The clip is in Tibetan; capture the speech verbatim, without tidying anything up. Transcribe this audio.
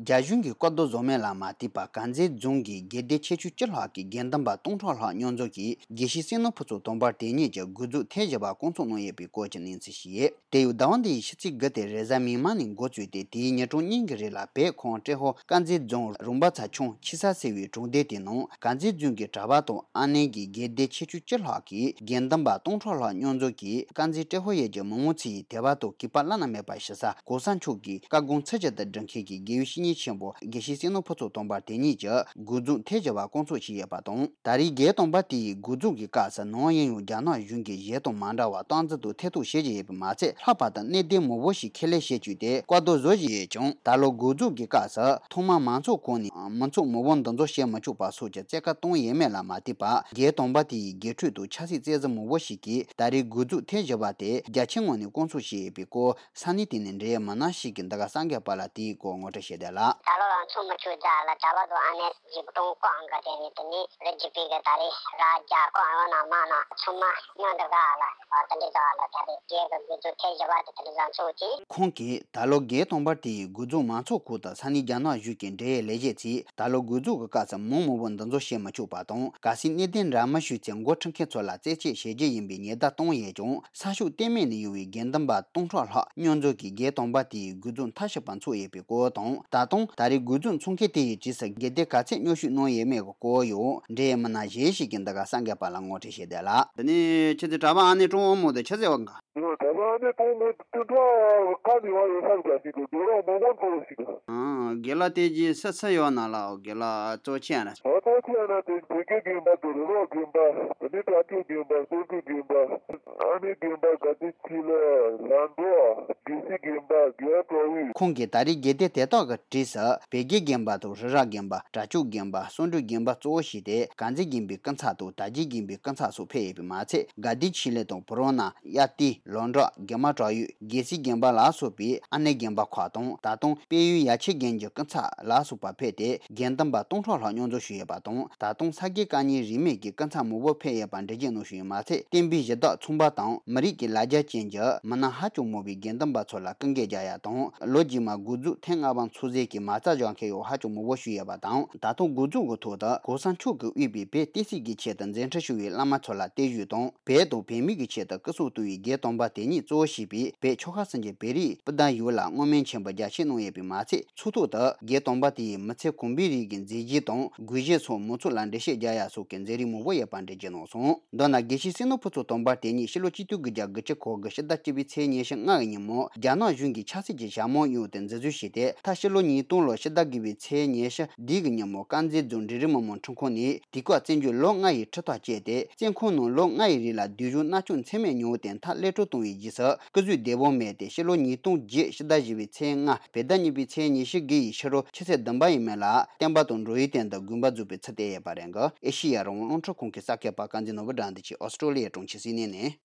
རྒྱ་གཞུང་གིས་བཀའ་བསྡུར་བཟོ་མིན་ལ་མ་ལྟོས་པར་དཀར་མཛེས་རྫོང་གི་དགེ་སྡེ་ཆེ་ཆུང་བཅུ་ལྷག་གི་དགེ་འདུན་པ་སྟོང་ཕྲག་ལྷག་མཉམ་འཛོམས་ཀྱིས་དགེ་བཤེས་བསོད་ནམས་ཕུན་ཚོགས་དམ་པ་དེ་ཉིད་ཀྱི་དགུ་རྫོགས་ཐེངས་བཞི་པ་བསྐོང་ཚོགས་གནང་ཡོད་པའི་སྐོར་གྱི་གནས་ཚུལ་ཞིག་ཡོད། དེ་ཡང་ཟླ་བ་འདིའི་ཕྱི་ཚེས་དགུ་སྟེ་རེས་གཟའ་མིག་དམར་ནས་འགོ་བཙུགས་ཏེ་དེའི་ཉིན་གྲངས་གཉིས་ཀྱི་རིང་ལ་བོད་ཁམས་ཏྲེ་ཧོར་དཀར་མཛེས་རྫོང་རོང་པ་ཚ་ཆུང་ཆི་ས་ཟེར་བའི་གྲོང་སྡེ་དེའི་ནང་དཀར་མཛེས་རྫོང་གི་གྲྭ་པ་དང་ཨ་ནེ་གི་དགེ་སྡེ་ཆེ་ཆུང་བཅུ་ལྷག་གིས་དགེ་འདུན་པ་སྟོང་ཕྲག་ལྷག་མཉམ་འཛོམས་ཀྱིས་དཀར་མཛེས་ཏྲེ་ཧོར་ཡུལ་གྱི་མི་མང་ཚོ་ཡི་དད་པ་དང་གུས་པ་བླ་ན་མེད་པ་ཞུ་ས་གོང་ས་མཆོག་གི་བཀའ་དགོངས་ཚུལ་བཞིན་དུ་སྒྲུབ་མཁན་གྱི་དགེ་བའི་བཤེས་གཉེན་ཆེན་པོ་དགེ་བཤེས་བསོད་ནམས་ཕུན་ཚོགས་དམ་པ་དེ་ཉིད་ཀྱི་དགུ་རྫོགས་ཐེངས་བཞི་པ་བསྐོང་ཚོགས་བྱས་ཡོད་པ་དང་། ད་རེས་རྒྱལ་དམ་པ་དེ་ཡི་དགུ་རྫོགས་ཀྱི་སྐབས་སུ་ནམ་ཡིན་ཡང་རྒྱ་ནག་གཞུང་གིས་གཞན་དང་མ་འདྲ་བར་སྟངས་འཛིན་དང་ཐེ་གཏོགས་བྱེད་བཞིན་ཡོད་པ་མ་ཚད། ལྷག་པར་དུ་གནད་དོན་མང་པོ་ཞིག་ཁས་ལེན་བྱེད་བཅུག་སྟེ་བཀའ་བསྡུར་བཟོ་བཞིན་ཡོད་ཀྱང་། ད་ལོ་དགུ་རྫོགས་ཀྱི་སྐབས་སུ་ཐོག་མར་མང་ཚོགས་ཁོངས་ནས་མི་ཚོགས་མང་པོ་འདུ་འཛོམས་བྱེད་མི་ཆོག་པ་སོགས་ཀྱི་བཙན་བཀའ་བཏང་ཡོད་མེད་ལ་མ་ལྟོས་པར། རྒྱལ་དམ་པ་དེ་ཡི་དགེ་ཕྲུག་དང་ཆབ་སྲིད་བཙན་འཛུལ་མང་པོ་ཞིག་གིས་ད་རེས་དགུ་རྫོགས་ཐེངས་བཞི་པ་དེ་རྒྱ་ཆེའི་ངོས་ནས་བསྐོང་ཚོགས་བྱས་ཡོད་པའི་སྐོར། ས་གནས་དེ་ནས་འབྲེལ་ཡོད་མི་སྣ་ཞིག་གིས་འདི་ག་གསར་འགོད་པ་ལ་དེའི་སྐོར་ངོ་སྤྲོད་བྱས་ཏེ་ལ། ད་ལོ་ཡང་ཚོགས་མི་ཆོག་རྒྱ་ལ་གྲྭ་པ་དང་ཨ་ནེ་ཡིག་ཐོག་བཀའ་འགའ་དེ་ནི་དེ་ནི་རི་རྒྱུད་པའི་གི་ད་རེས་ར་རྒྱ་བཀའ་ཡང་ན་མ་ན་ཚང་མ་མཉམ་དུ་ག་ལ་བ་དེ་འདྲ་ཟ་ལ་ད་རེས་རྒྱལ་གི་དགུ་རྫོགས་ཐེངས་བཞི་པ་དེ་དེ་འདྲ་ཟ་ཚོགས་ཀྱིས། ཁོང་གིས་ད་ལོ་རྒྱལ་དམ་པ་དེ་ཡི་དགུ་རྫོགས་མང་ཚོགས་ཁག་དང་ས་གནས་རྒྱ་ནག་གཞུང་གི་འབྲེལ་ཡོད་ལས་བྱེད་ཚོས་ད་ལོ་དགུ་རྫོགས་ཀྱི་སྐབས་སུ་མི་མང་པོ་འདུ་འཛོམས་བྱེད་མི་ཆོག་པ་དང་། གལ་སྲིད་གནད་དོན་འདྲ་མི་ཞུས་ཚེ་འགོ་ཁྲིད་མཁན་ཚོ་ལ་རྩད་གཅོད་བྱེད་རྒྱུ་ཡིན་པའི་ཉེན་བརྡ་བཏང་ཡོད་ཀྱང་། ས་ཕྱོགས་གཏན་མེད་ནས་ཡོང་བའི་དགེ་འདུན་པ་སྟོང་ཕྲག་ལྷག་མཉམ་འཛོམས་ཀྱིས་རྒྱལ་དམ་པ་དེའི་དགུ་རྫོགས་མཐའ་བཞི་པ་འཚོགས་ཡོད་པའི་སྐོར་དང་། ད་དུང་ད་རེས་དགུ་རྫོགས་འཚོགས་མཁན་དེ་ཡི་རྗེས་སུ་དགེ་སྡེ་ག་ཚད་མཉམ་ཞུགས་གནང་ཡོད་མེད་ཀྱི་སྐོར་ཡང་འབྲེལ་ཡོད་མི་སྣ་གཞན་ཞིག་གིས་འདི་ག་གསར་འགོད་པ་ལ་ངོ་སྤྲོད་བྱས་ཏེ་ལ། དེ་ནས་ཁྱེད་ཚོའི་གྲྭ་པ་ཨ་ནེ་ཀྲོང་ཨོ་མོ་དེ་ཆི་ཟེར་བ་འགའ། ཡོད་ད་ལྟ་ཨ་ནེ་ཀྲོང་མོ་དེ་འདྲ་ཁ་ནས་བ་ཡོད་ས་འགའ་ཞིག་ཏུ་རྒན་ལགས་མང་མང་འཚོ་བ་ཞིག་ཨང་། དགེ་ལགས་དེ་རྗེས་སུ་སུ་ཡོད་ན་ལགས། དགེ་ལགས་གཙོ་ཆེ་ན། ཨ་གཙོ་ཆེ་ན་དེ་བོད་དགེ་དགོན་པ་དང་རི་རབ་དགོན་པ། དེ་ནས་དྲག་ཕྱོགས་དགོན་པ། བསམ་འགྲུབ་དགོན་པ། ཨ་ནེ་དགོན་པ། དགའ་ལྡན་ཕྱི་ལ་ལ་འགྲོ། དགེ་བཤེས་དགོན་པ། དགེ་བ་གྲོལ་བའི། ཁོང་གིས་ད་རེས་དགེ་སྡེ་དེ་དག་གི་གྲས་སུ་བོད་དགེ་དགོན་པ་དང་རི་རབ་དགོན་པ། དྲག་ཕྱོགས་དགོན་པ། བསམ་འགྲུབ་དགོན་པ་གཙོ་བོ་བྱས་ཏེ་དཀར་མཛེས་དགོན་པའི་སྐུ་ཚབ་དང་དར་རྒྱས་དགོན་པའི་སྐུ་ཚབ་སོགས་ཕེབས་ཡོད་པ་མ་ཚད། དགའ་ལྡན་ཆོས་གླིང་དང་བོ་རོ་ན། གཡའ་སྟེང་། ལོ་འབྲོག། དགེ་མ་བྲག་ཡུལ། དགེ་བཤེས་དགོན་པ་ལ་སོགས་པའི་ཨ་ནེ་དགོན་པ་ཁག་དང་། ད་དུང་དཔལ་ཡུལ་ཡ་ཆེ་དགོན་གྱི་སྐུ་ཚབ་ལ་སོགས་པ་ཕེབས་ཏེ་དགེ་འདུན་པ་སྟོང་ཕྲག་ལྷག་མཉམ་འཛོམས་ཞུས་ཡོད་པ་དང་། ད་དུང་ས་དགེ་བཀའ་རྙིང་རིས་མེད་ཀྱི་སྐུ་ཚབ་མང་པོ་ཕེབས་ཡོད་པ་འགྲེལ་བརྗོད་གནང་བཞིན་ཡོད་མ་ཚད། བསྟན་པའི་གཞི་བདག་ཚོང་པ་དང་མི་རིགས་ཀྱི་ལ་རྒྱ་ཅན་གྱི་མི་སྣ་ཧ་ཅང་མང་བའི་དགེ་འདུན་པ་ཚོ་ལ་སྐུ་འགན་རྒྱག་ཡ་དང་། ལོ་རྗེས་མ་དགུ་རྫོགས་ཐེངས་ལྔ་པ་འཚོགས་རྩིས་ཀྱི་མ་རྩ་འཇོག་མཁན་ཡང་ཧ་ཅང་མང་པོ་ཞིག་ཡོད་པ་དང་། ད་དུང་དགུ་རྫོགས་ཀྱི་ཐོག་ཏུ་གོང་ས་མཆོག་གིས་དབུས་པའི་བོད་བསྟན་སྲིད་ཀྱི་ཆེད་དུ་མཛད་འཕྲིན་ཞུ་བའི་བླ་མ་ཚོ་ལ་བརྟན་བཞུགས་དང་། བོད་དང་བོད་མི་གི་ཆེད་དུ་སྐུ་སྲོག་གཏོང་བའི་རྒྱལ་དམ་པ་དེ་ཉིད་གཙོ་བོ་བྱས་པའི་བོད་ཆོལ་ཁ་གསུམ་གྱི་བོད་རིགས་སྤུན་ཟླ་ཡོངས་ལ་བསྔོ་སྨོན་ཆེན་པོ་རྒྱ་ཆེ་གནང་ཡོད་པས་མ་ཚད། ཚོགས་ཐོག་ཏུ་རྒྱལ་དམ་པ་དེ་ཡི་མི་ཚེ་གོང་བུའི་རིགས་ཀྱི་མཛད་རྗེས་དང་དགོངས་བཞེད་སོགས་མང་ཚོགས་ལ་འགྲེལ་བཤད་རྒྱག་ཡ་སོགས་ཀྱི་མཛད་རིམ་མང་པོ་ཡོད་པ་འགྲེལ་བརྗོད་གནང་སོང་། མདོར་ན་དགེ་བཤེས་བསོད་ནམས་ཕུན་ཚོགས་དམ་པ་དེ་ཉིད་ཕྱི་ལོ་ཆིག་སྟོང་དགུ་བརྒྱ་དགུ་བཅུ་གོ་དགུ་ཕྱི་ཟླ་བཅུ་པའི་ཚེས་ཉི་ཤུ་ལྔ་གི་ཉིན་མོ་རྒྱ་ནག་གཞུང་གིས་ཆབ་སྲིད་ཀྱི་ཞྭ་མོ་གཡུགས་ཏེ་འཛིན་བཟུང་བྱས་ཏེ། མཐར་ཕྱི་ལོ་ཉིས་སྟོང་ལོ་ཕྱི་ཟླ་དགུ་པའི་ཚེས་ཉི་ཤུ་བདུན་གྱི་ཉིན་མོ་དཀར་མཛེས་རྫོང་འབྲིང་རིམ་མི་དམངས་ཁྲིམས་ཁང་ནས་དུས་བཀག་བཙོན་འཇུག་ལོ་ལྔ་ཡི་ཁྲིམས་ཐག་བཅད་དེ། བཙོན་ཁང་ནང་ལོ་ལྔ་ཡི་རིང་ལ་སྡུག་སྦྱོང་མནར་གཅོད་ཚད་མེད་མྱོང་བའི་དོན་ཐག་གློད་གྲོལ་བཏང་བའི་རྗེས་སུ་སྐུ་གཟུགས་བདེ་པོ་མེད་དེ། ཕྱི་ལོ་ཉིས་སྟོང་བརྒྱད་ཕྱི་ཟླ་བཞི་པའི་ཚེས་ལྔ་བོད་ཟླ་གཉིས་པའི་ཚེས་ཉི་ཤུ་དགུ་ཡི་ཕྱི་དྲོ་ཆུ་ཚོད་བདུན་པ་ཡས་མས་ལ་བསྟན་པ་དང་འགྲོ་བའི་དོན་དུ་དགོངས་པ་རྫོགས་པའི་ཚུལ་བསྟན་ཡོད་པ་རེད་འདུག་ཨེ་ཤེ་ཡ་རང་དབང་རླུང་འཕྲིན་ཁང་གི་གསར་འགོད་པ་དཀར་མཛེས་ནོར་བུ་དགྲ་འདུལ་གྱིས་ཨོ་སི་ཀྲོ་ལི་ཡའི་གྲོང་ཁྱེར་སིད་ནི་ནས།